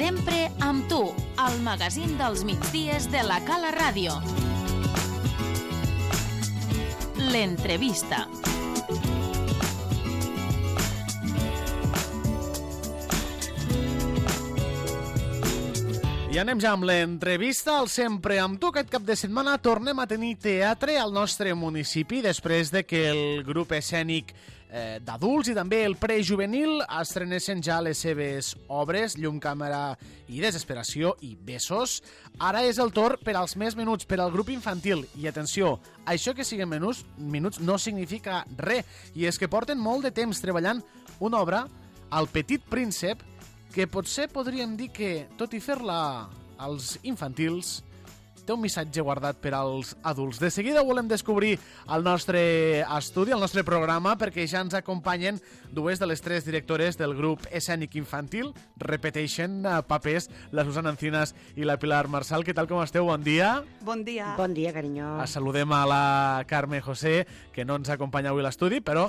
Sempre amb tu, el magazín dels migdies de la Cala Ràdio. L'entrevista. I anem ja amb l'entrevista al Sempre amb tu. Aquest cap de setmana tornem a tenir teatre al nostre municipi després de que el grup escènic d'adults i també el prejuvenil estrenessin ja les seves obres Llum, Càmera i Desesperació i Besos. Ara és el torn per als més menuts, per al grup infantil. I atenció, això que siguin minuts no significa res. I és que porten molt de temps treballant una obra, El Petit Príncep, que potser podríem dir que, tot i fer-la als infantils, té un missatge guardat per als adults. De seguida volem descobrir el nostre estudi, el nostre programa, perquè ja ens acompanyen dues de les tres directores del grup escènic infantil. Repeteixen papers la Susana Encinas i la Pilar Marsal. Què tal, com esteu? Bon dia. Bon dia. Bon dia, carinyo. Saludem a la Carme José, que no ens acompanya avui a l'estudi, però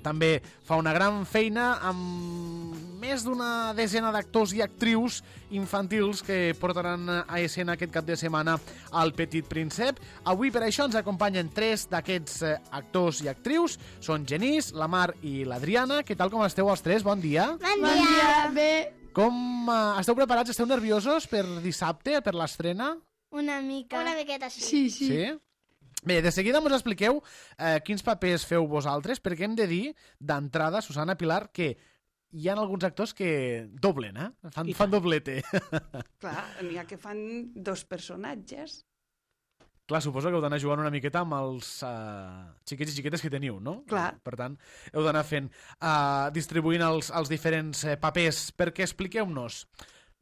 també fa una gran feina amb més d'una desena d'actors i actrius infantils que portaran a escena aquest cap de setmana al Petit Príncep. Avui per això ens acompanyen tres d'aquests actors i actrius. Són Genís, la Mar i l'Adriana. Què tal, com esteu els tres? Bon dia. Bon dia. Bé. Com esteu preparats? Esteu nerviosos per dissabte, per l'estrena? Una mica. Una miqueta, Sí. Sí? Bé, de seguida ens expliqueu quins papers feu vosaltres, perquè hem de dir d'entrada, Susana, Pilar, que hi ha alguns actors que doblen, fan doblete. Clar, n'hi ha que fan dos personatges. Clar, suposo que heu d'anar jugant una miqueta amb els xiquets i xiquetes que teniu, no? Clar. Per tant, heu d'anar fent, distribuint els diferents papers, perquè expliqueu-nos.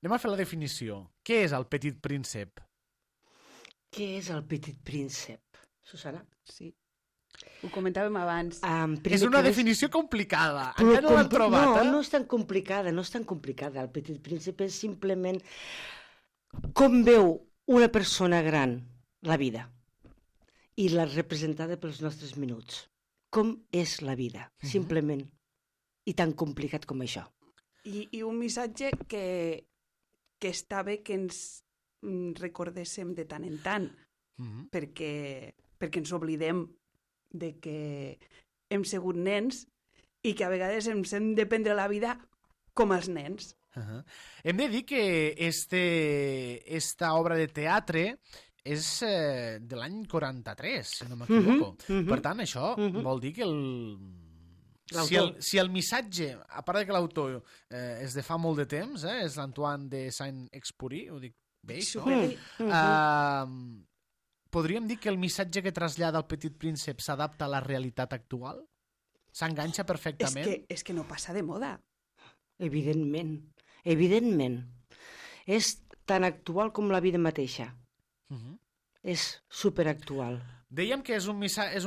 Anem a fer la definició. Què és el Petit Príncep? Què és el Petit Príncep, Susana? Sí. Ho comentàvem abans. És una definició complicada. Encara no l'han trobat, No és tan complicada, no és tan complicada. El Petit Príncep és simplement com veu una persona gran la vida i la representada pels nostres minuts. Com és la vida, simplement. I tan complicat com això. I un missatge que està bé que ens recordéssim de tant en tant, perquè ens oblidem de que hem sigut nens i que a vegades ens hem de prendre la vida com els nens. Hem de dir que esta obra de teatre és de l'any 43, si no m'equivoco. Per tant, això vol dir que si el missatge, a part de que l'autor és de fa molt de temps, és l'Antoine de Saint-Exupéry, ho dic bé, això? Podríem dir que el missatge que trasllada el Petit Príncep s'adapta a la realitat actual? S'enganxa perfectament? És que no passa de moda. Evidentment. És tan actual com la vida mateixa. És superactual. Dèiem que és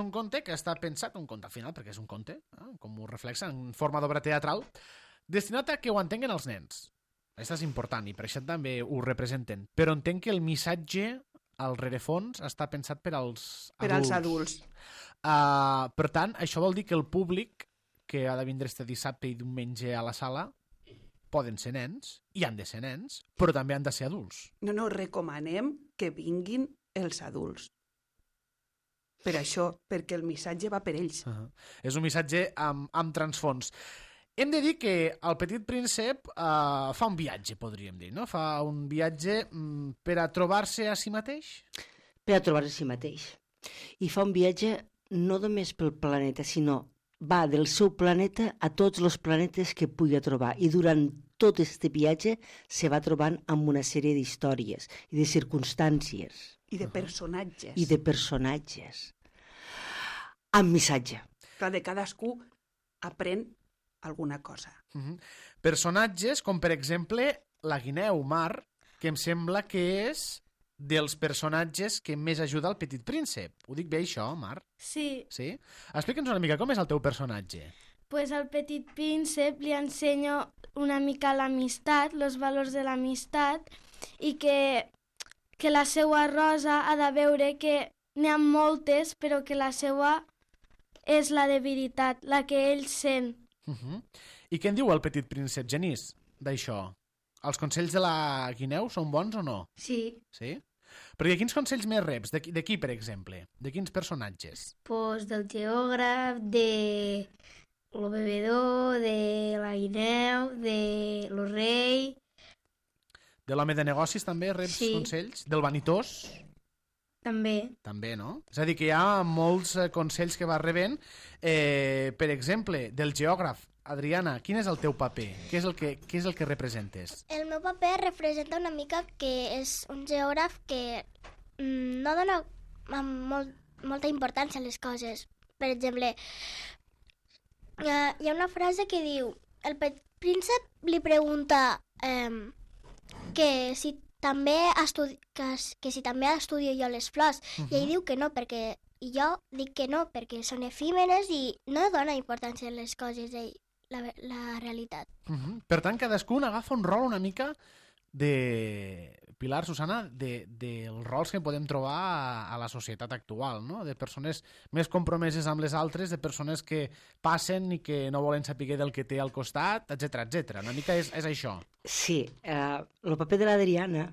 un conte que està pensat, un conte al final, perquè és un conte, com ho reflexa, en forma d'obra teatral, destinat a que ho entenguen els nens. Això és important i per això també ho representen. Però entenc que el missatge al rerefons està pensat per als adults. Per tant, això vol dir que el públic que ha de vindre este dissabte i diumenge a la sala poden ser nens, i han de ser nens, però també han de ser adults. No, recomanem que vinguin els adults. Per això, perquè el missatge va per ells. És un missatge amb transfons. Hem de dir que el Petit Príncep fa un viatge, podríem dir, no? Fa un viatge per a trobar-se a si mateix? Per a trobar-se a si mateix. I fa un viatge no només pel planeta, sinó va del seu planeta a tots els planetes que pugui trobar. I durant tot aquest viatge se va trobant amb una sèrie d'històries i de circumstàncies. I de personatges. Amb missatge. Clar, de cadascú aprèn alguna cosa. Personatges com, per exemple, la guineu Mar, que em sembla que és dels personatges que més ajuda al Petit Príncep. Ho dic bé, això, Mar? Sí. Sí? Explica'ns una mica com és el teu personatge. Pues al Petit Príncep li ensenyo una mica l'amistat, els valors de l'amistat, i que la seva rosa ha de veure que n'hi ha moltes, però que la seva és la de veritat, la que ell sent. I què en diu el Petit Príncep, Genís, d'això? Els consells de la Guineu són bons o no? Sí. Sí? Perquè quins consells més reps? De qui, per exemple? De quins personatges? Pues del geògraf, de lo bebedor, de la guineu, de lo rei... De l'home de negocis també reps consells? Del vanitós? També. També, no? És a dir, que hi ha molts consells que vas rebent. Per exemple, del geògraf. Adriana, quin és el teu paper? Què és el que representes? El meu paper representa una mica que és un geògraf que no dona molta importància a les coses. Per exemple, hi ha una frase que diu el petit príncep li pregunta que si també estudio jo les flors, i ell diu que no, i jo dic que no, perquè són efímeres i no dona importància a les coses de la realitat. Per tant, cadascun agafa un rol una mica de... Pilar, Susana, dels rols que podem trobar a la societat actual, no? De persones més compromeses amb les altres, de persones que passen i que no volen saber del que té al costat, etc etc. Una mica és això. Sí, el paper de l'Adriana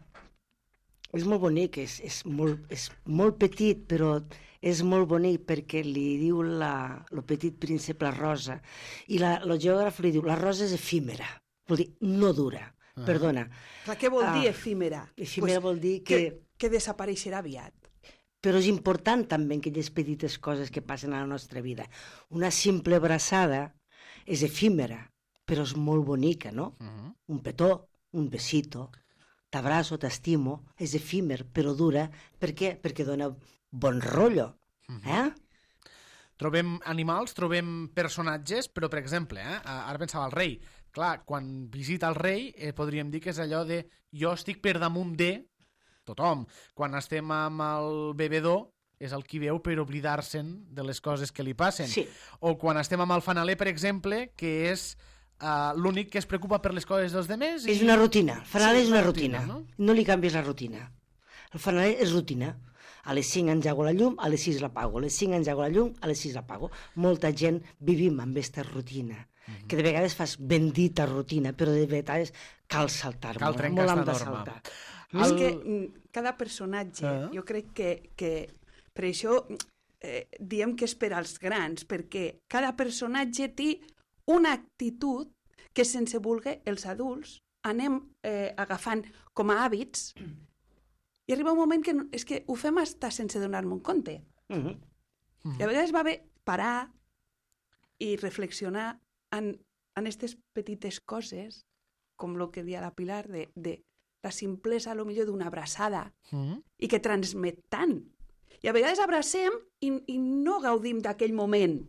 és molt bonic, és molt petit, però és molt bonic perquè li diu el petit príncep la rosa, i el geògraf li diu la rosa és efímera, vol dir no dura. Perdona. Clar, què vol dir efímera? Efímera vol dir que desapareixerà aviat. Però és important també aquelles petites coses que passen a la nostra vida. Una simple abraçada és efímera, però és molt bonica, no? Un petó, un besito, t'abraço, t'estimo, és efímer, però dura. Per què? Perquè dona bon rotllo. Trobem animals, trobem personatges, però, per exemple, ara pensava el rei. Clar, quan visita el rei podríem dir que és allò de jo estic per damunt de tothom. Quan estem amb el bebedor és el qui veu per oblidar-se'n de les coses que li passen. Sí. O quan estem amb el fanaler, per exemple, que és l'únic que es preocupa per les coses dels demés. És una rutina. El fanaler és una rutina. No li canvies la rutina. El fanaler és rutina. A les 5 engego la llum, a les 6 l'apago. A les 5 engego la llum, a les 6 l'apago. Molta gent vivim amb aquesta rutina. Que de vegades fas bendita rutina, però de vegades cal saltar. Cal trencar aquesta norma. És que cada personatge, jo crec que per això diem que és per als grans, perquè cada personatge té una actitud que sense voler els adults anem agafant com a hàbits i arriba un moment que és que ho fem estar sense donar-me un compte. I a vegades va bé parar i reflexionar en aquestes petites coses, com el que deia la Pilar, de la simplesa, millor d'una abraçada, i que transmet tant. I a vegades abracem i no gaudim d'aquell moment.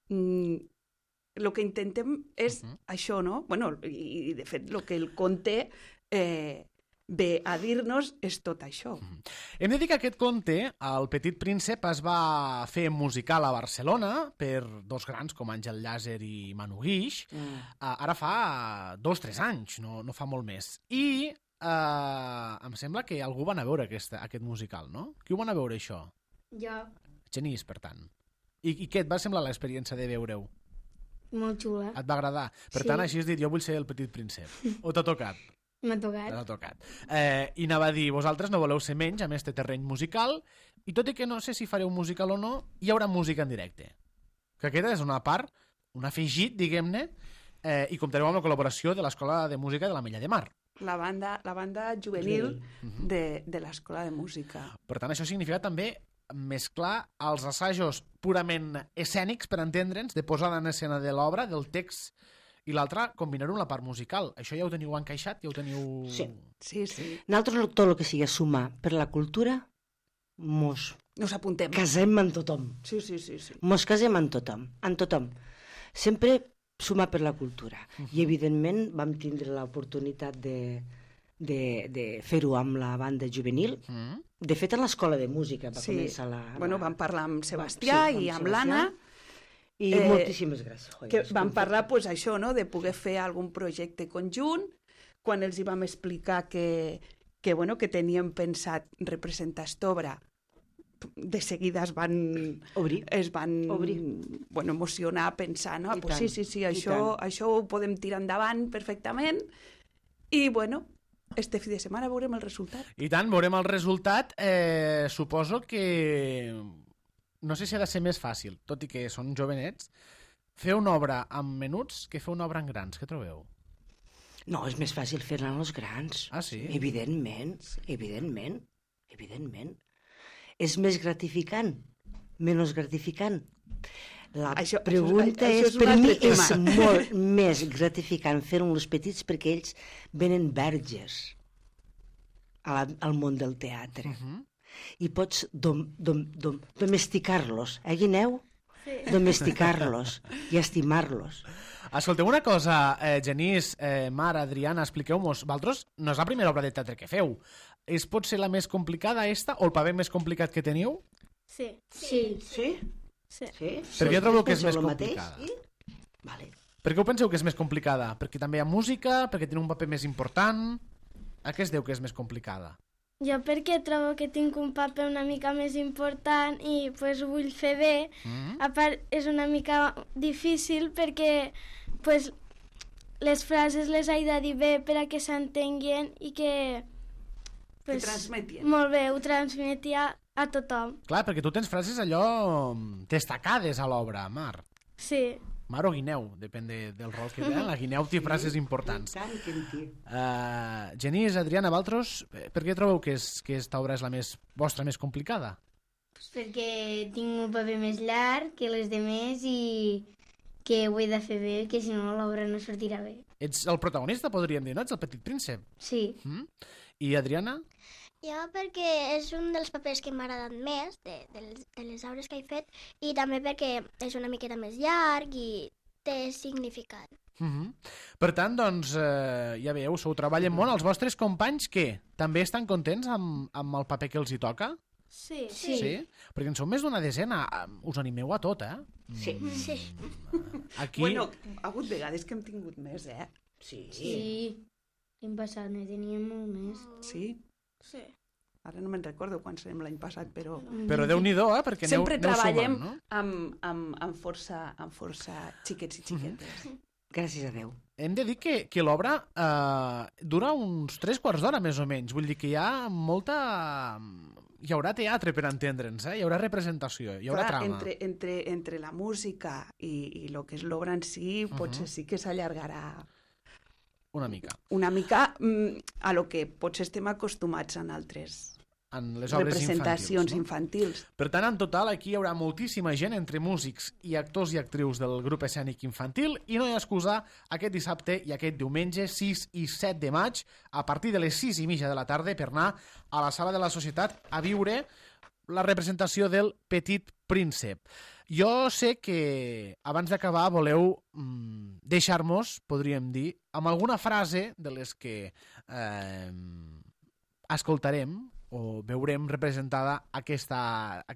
El que intentem és això, no? Bueno, i de fet, el que el conte ve a dir-nos és tot això. Hem de dir que aquest conte, El petit príncep, es va fer musical a Barcelona per dos grans com Àngel Llàser i Manu Guix. Ara fa 2 o 3 anys, no fa molt més. I em sembla que algú va anar a veure aquest musical, no? Qui ho va anar a veure, això? Jo. Genís, per tant. I què et va semblar l'experiència de veure-ho? Molt xula. Et va agradar? Per tant, així has dit, jo vull ser el petit príncep. O t'ha tocat? M'ha tocat. T'ha tocat. I anava a dir, vosaltres no voleu ser menys amb este terreny musical, i tot i que no sé si fareu musical o no, hi haurà música en directe. Que aquesta és una part, un afegit, diguem-ne, i comptareu amb la col·laboració de l'Escola de Música de l'Ametlla de Mar. La banda juvenil de l'Escola de Música. Per tant, això significa també mesclar els assajos purament escènics, per entendre'ns, de posada en escena de l'obra, del text, i l'altre, combinar-ho amb la part musical. Això ja ho teniu encaixat? Ja ho teniu... Sí. Nosaltres, tot el que sigui sumar per la cultura, mos apuntem. Casem amb tothom. Sí. Mos casem amb tothom. Sempre sumar per la cultura. I, evidentment, vam tindre l'oportunitat de fer-ho amb la banda juvenil. De fet, a l'Escola de Música va començar la... Bueno, vam parlar amb Sebastià i amb l'Anna. I moltíssimes gràcies. Que vam parlar, doncs, això, no?, de poder fer algun projecte conjunt. Quan els hi vam explicar que teníem pensat representar aquesta obra, de seguida es van emocionar, pensar, no? Pues sí, això ho podem tirar endavant perfectament. I, bueno, este fi de setmana veurem el resultat. I tant, veurem el resultat. Suposo que... No sé si ha de ser més fàcil, tot i que són jovenets, fer una obra amb menuts que fer una obra en grans. Què trobeu? No, és més fàcil fer-la en els grans. Ah, sí? Evidentment. És més gratificant, menys gratificant. La pregunta és, per mi, és molt més gratificant fer-ho amb els petits perquè ells venen verges al món del teatre. I pots domesticar-los, Guineu? Sí. Domesticar-los i estimar-los. Escolteu una cosa, Genís, Mar, Adriana, expliqueu-nos. Vosaltres no és la primera obra de teatre que feu. És potser la més complicada esta o el paper més complicat que teniu? Sí. Per què trobeu que és més complicada? Vale. Per què ho penseu que és més complicada? Perquè també hi ha música? Perquè té un paper més important? A què es deu que és més complicada? Jo perquè trobo que tinc un paper una mica més important i pues, ho vull fer bé. A part, és una mica difícil perquè pues, les frases les he de dir bé per a que s'entenguin i que... Pues, transmetien. Molt bé, ho transmetia a tothom. Clar, perquè tu tens frases allò destacades a l'obra, Mar. Sí. Mar o Guineu, depèn del rol que té. La Guineu té frases importants. Genís, Adriana, vosaltres, per què trobeu que aquesta obra és la vostra més complicada? Perquè tinc un paper més llarg que les demés i que ho he de fer bé, que si no l'obra no sortirà bé. Ets el protagonista, podríem dir, no? Ets el petit príncep. Sí. I Adriana? Jo perquè és un dels papers que m'ha agradat més de les obres que he fet i també perquè és una miqueta més llarg i té significat. Per tant, doncs, ja veieu, s'ho treballen molt. Els vostres companys, què? També estan contents amb el paper que els hi toca? Sí. Perquè en sou més d'una desena. Us animeu a tot, eh? Sí. Aquí... Bueno, ha hagut vegades que hem tingut més, eh? Sí. L'any passat ne teníem molt més. Sí? Sí. Ara no me'n recordo quan serem l'any passat, però... Però Déu-n'hi-do, perquè sempre treballem sumant, no? amb força xiquets i xiquetes. Gràcies a Déu. Hem de dir que l'obra dura uns 3 quarts d'hora, més o menys. Vull dir que hi ha molta... Hi haurà teatre, per entendre'ns, hi haurà representació, hi haurà trama. Entre la música i el que és l'obra en si, potser sí que s'allargarà una mica. Una mica a lo que potser estem acostumats en altres les obres representacions infantils. Per tant, en total, aquí hi haurà moltíssima gent entre músics i actors i actrius del grup escènic infantil i no hi ha excusa aquest dissabte i aquest diumenge 6 i 7 de maig a partir de les 6:30 de la tarda per anar a la Sala de la Societat a viure la representació del Petit Príncep. Jo sé que abans d'acabar voleu deixar-nos, podríem dir, amb alguna frase de les que escoltarem o veurem representada aquest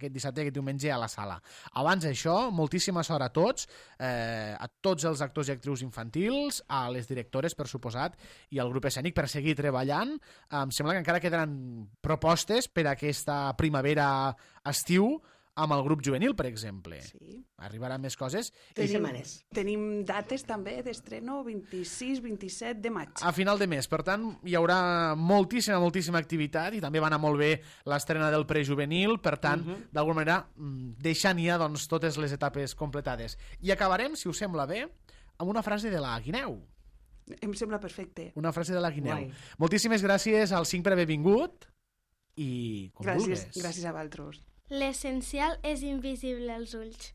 dissabte, aquest diumenge a la sala. Abans d'això, moltíssima sort a tots els actors i actrius infantils, a les directores, per suposat, i al grup escènic per seguir treballant. Em sembla que encara quedaran propostes per a aquesta primavera-estiu amb el grup juvenil, per exemple. Sí. Arribaran més coses. Tenim dates també d'estreno 26-27 de maig. A final de mes. Per tant, hi haurà moltíssima activitat i també va anar molt bé l'estrena del prejuvenil. Per tant, d'alguna manera, deixant ja doncs, totes les etapes completades. I acabarem, si us sembla bé, amb una frase de la Guineu. Em sembla perfecte. Una frase de la Guineu. Moltíssimes gràcies al 5 per haver vingut i com vulguis. Gràcies a vosaltres. L'essencial és invisible als ulls.